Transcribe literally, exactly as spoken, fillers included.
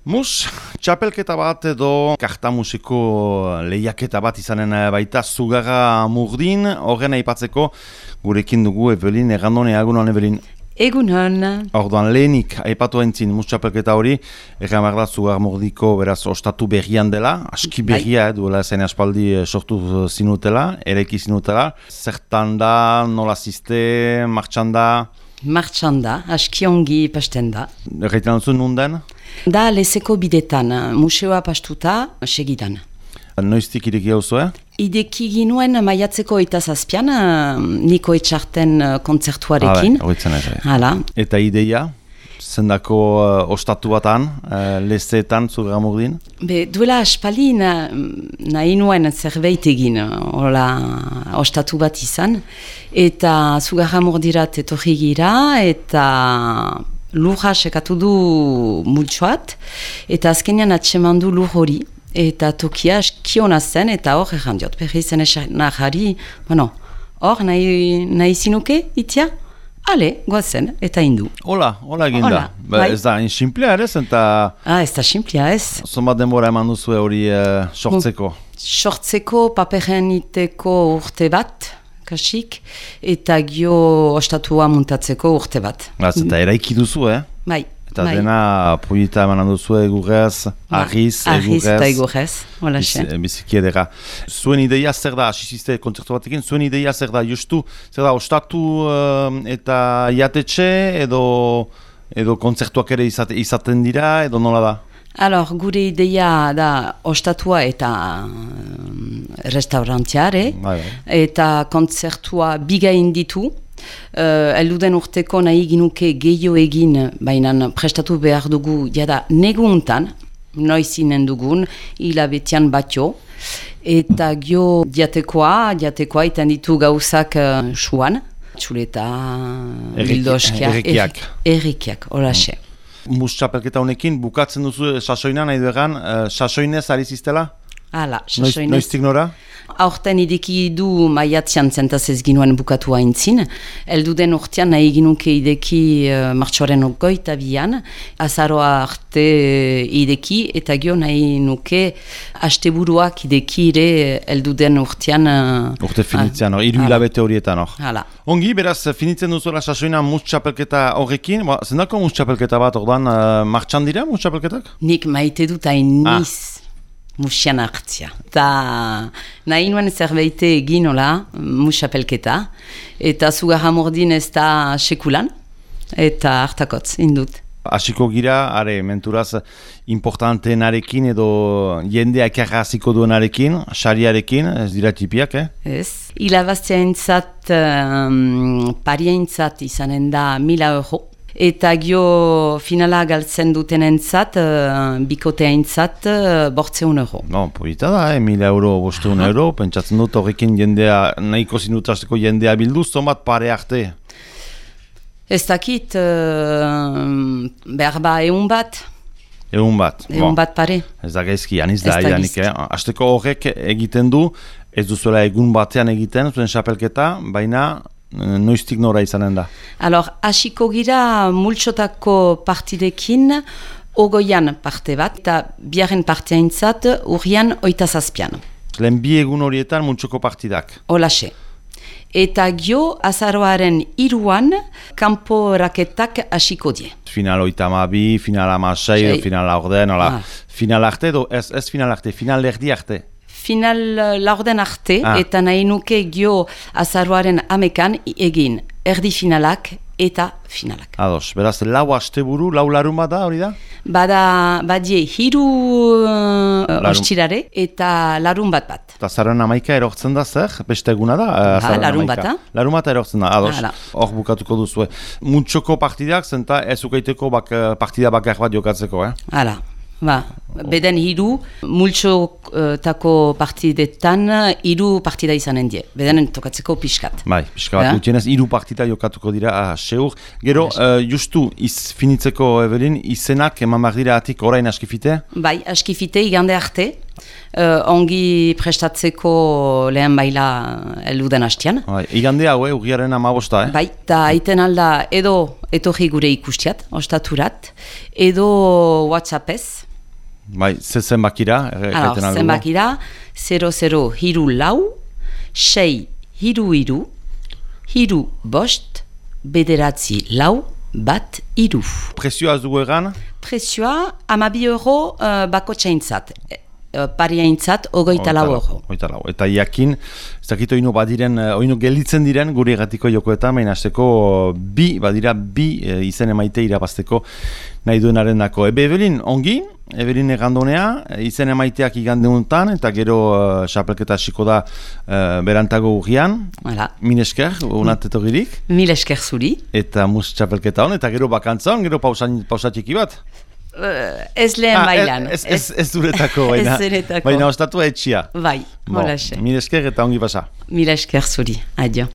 Mus, txapelketa bat edo karta musiko lehiaketa bat izanen baita Zugarra Murdin, horren aipatzeko gurekin dugu Evelin, errandone, egunon Evelin. Egunon. Orduan lehenik aipatu entzin mus txapelketa hori, erran behar da Zugarra Murdiko beraz ostatu berrian dela, aski berria, eh, duela zen aspaldi sortu zinutela, eraiki zinutela. Zertan da, nola ziste, martxan da? Martxan da, aski ongi pasten da. Erraiten duzu nunden? Da lezeko bidetan, museoa pastuta, segidan. Noiztik ireki hau zuen? Ideki ginuen maiatzeko eta zazpian, Niko Etxarten kontzertuarekin. Ah, bai, ez, Hala. Eta ideia? Zendako uh, ostatu batan, uh, lezeetan, Zugarra Murdin? Be, duela aspali na, nahi nuen zerbait egin, hola, ostatu bat izan. Eta Zugarra Murdirat etorri gira, eta lurra sekatu du multsoat, eta azkenean atseman du lur hori. Eta tokia eskiona zen, eta hor errandiot, berri zen esanahari, bueno, hor nahi, nahi zinuke, itia? Ale, goazen, eta hindu. Hola, hola eginda. Ba, ez da, insimplea ere zen, eta... Ah, ez da simplea ez. Zonbat denbora eman duzu hori uh, sortzeko? Sortzeko, paperen iteko urte bat, kasik, eta gio ostatua muntatzeko urte bat. Baz, eta eraiki duzu, eh? Bai. Eta bai. Dena proieta eman duzu egurrez, argiz, egurrez. Argiz eta egurrez, hola xe. Biziki edera. Zuen ideia zer da, asiziste kontzertu batekin, zuen ideia zer da, justu, zer da, ostatu uh, eta jatetxe, edo, edo kontzertuak ere izate, izaten dira, edo nola da? Alor, gure ideia da ostatua eta uh, restaurantiare, bai, bai. Eta kontzertua bigain ditu. Uh, Elduden urteko nahi ginuke gehiago egin, baina prestatu behar dugu jada neguntan, noizinen dugun, hilabetian batio, eta gio diatekoa, diatekoa iten ditu gauzak uh, suan, txuleta, bildoskiak, errikiak, errikiak, horaxe. Mm. Mus txapelketa honekin, bukatzen duzu sasoina nahi duegan, uh, sasoinez ari ziztela? Hala, sasoinez. Noiztik nora? Aurten ideki du maiatzean zentaz ez ginuen bukatu haintzin. Elduden urtean nahi ginuke ideki uh, martxoaren goita bian, azaroa arte ideki, eta gio nahi nuke asteburuak ideki ere elduden urtean... Uh, Urte finitzean, hor, iru hilabete horietan hor. Hala. Ongi, beraz, finitzen duzuela sasoina mus txapelketa horrekin, ba, zendako mus txapelketa bat ordan, uh, martxan dira mus txapelketak? Nik maite dut hain niz. Ah. Musian hartzia. Ta nahi nuen zerbeite egin hola, musapelketa, eta Zugarra Murdin ez da sekulan, eta hartakotz, indut. Hasiko gira, are, menturaz, importanteenarekin edo jendea ekarra hasiko duenarekin, sariarekin, ez dira tipiak, eh? Ez. Hilabaztea entzat, um, paria entzat izanen da mila euro. Eta gio finala galtzen duten entzat, uh, bikotea entzat, uh, bortzeun euro. No, polita da, eh? Mila euro, bosteun euro, pentsatzen dut horrekin jendea, nahiko zinutazteko jendea bilduz, zonbat pare arte? Ez dakit, uh, behar ba egun bat. Egun bat. Egun bat pare. Ez da gaizki, aniz da, idanik, eh? Azteko horrek egiten du, ez duzuela egun batean egiten, zuen xapelketa, baina... Noiztik nora izanen da? Alor, hasiko gira multsotako partidekin ogoian parte bat, eta biaren partea intzat urrian oita zazpian. Lehen bi egun horietan multsoko partidak? Olaxe. Eta gio azaroaren iruan kanpo raketak hasiko die. Final oita amabi, final amasei, final orden, ah. Final arte edo ez, ez final arte, final erdi arte? Final laurden arte, ah. Eta nahi nuke gio azaroaren amekan egin erdi finalak eta finalak. Ados, beraz, lau asteburu, lau larun bat da, hori da? Bada, badie, hiru uh, ostirare eta larun bat bat. Eta azaroaren amaika erortzen da zer? Beste eguna da? Ha, larun bat da. Larun bat erortzen da, ados, hor bukatuko duzu. Multsoko partidak, zenta ez ukaiteko bak, partida bakar bat jokatzeko, eh? Hala. Ba, beden hiru, multsotako partidetan hiru partida izanen die. Beden tokatzeko pixkat. Bai, pixka bat gutienez, hiru partida jokatuko dira, ah, seur. Gero, uh, justu, iz finitzeko, Evelin, izenak eman behar dira atik orain askifite? Bai, askifite, igande arte. Uh, ongi prestatzeko lehen baila elduden hastian. Bai, igande hau, eh, urriaren amabosta, eh? Bai, eta aiten alda edo etorri gure ikustiat, ostaturat, edo WhatsAppez. Bai, ze zenbakira? Alors, zenbakira, zero zero hiru lau, sei hiru hiru, hiru bost, bederatzi lau, bat hiru. Prezioa ez dugu egan? Prezioa, amabi euro uh, bako txaintzat. Pariaintzat, ogoita lau euro. Ogoita lau. Eta iakin, ez dakit oinu badiren, oinu gelitzen diren guri egatiko jokoetan, baina azteko bi, badira bi e, izen emaite irabazteko nahi duenaren dako. Ebe Evelin, ongi, Evelin egandonea, izen emaiteak igandeuntan, eta gero uh, xapelketa hasiko da uh, berantago urrian. Voilà. Min esker, unateto girik. Mil esker zuri. Eta mus xapelketa hon, eta gero bakantza hon, gero pausatiki bat. Uh, ez lehen ah, bailan. Ez, ez, ez duretako, baina, baina ostatua etxia. Bai, hola xe. Mil esker eta ongi pasa. Mil esker zuri, adio.